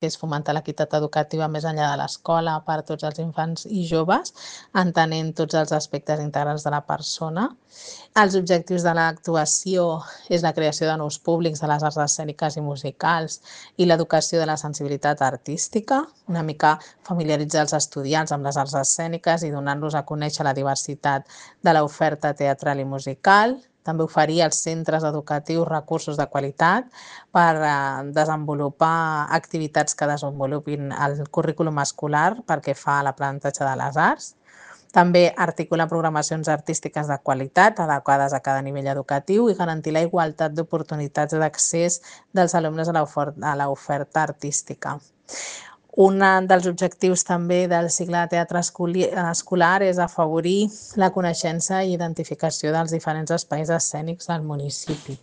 que és fomentar l'equitat educativa més enllà de l'escola per a tots els infants i joves, entenent tots els aspectes integrals de la persona. Els objectius de l'actuació és la creació de nous públics de les arts escèniques i musicals i l'educació de la sensibilitat artística, una mica familiaritzar els estudiants amb les arts escèniques i donar-los a conèixer la diversitat de l'oferta teatral i musical. També oferir als centres educatius recursos de qualitat per desenvolupar activitats que desenvolupin el currículum escolar pel que fa a l'aprenentatge de les arts. També articular programacions artístiques de qualitat adequades a cada nivell educatiu i garantir la igualtat d'oportunitats d'accés dels alumnes a l'oferta artística. Un dels objectius també del cicle de teatre escolar és afavorir la coneixença i identificació dels diferents espais escènics del municipi.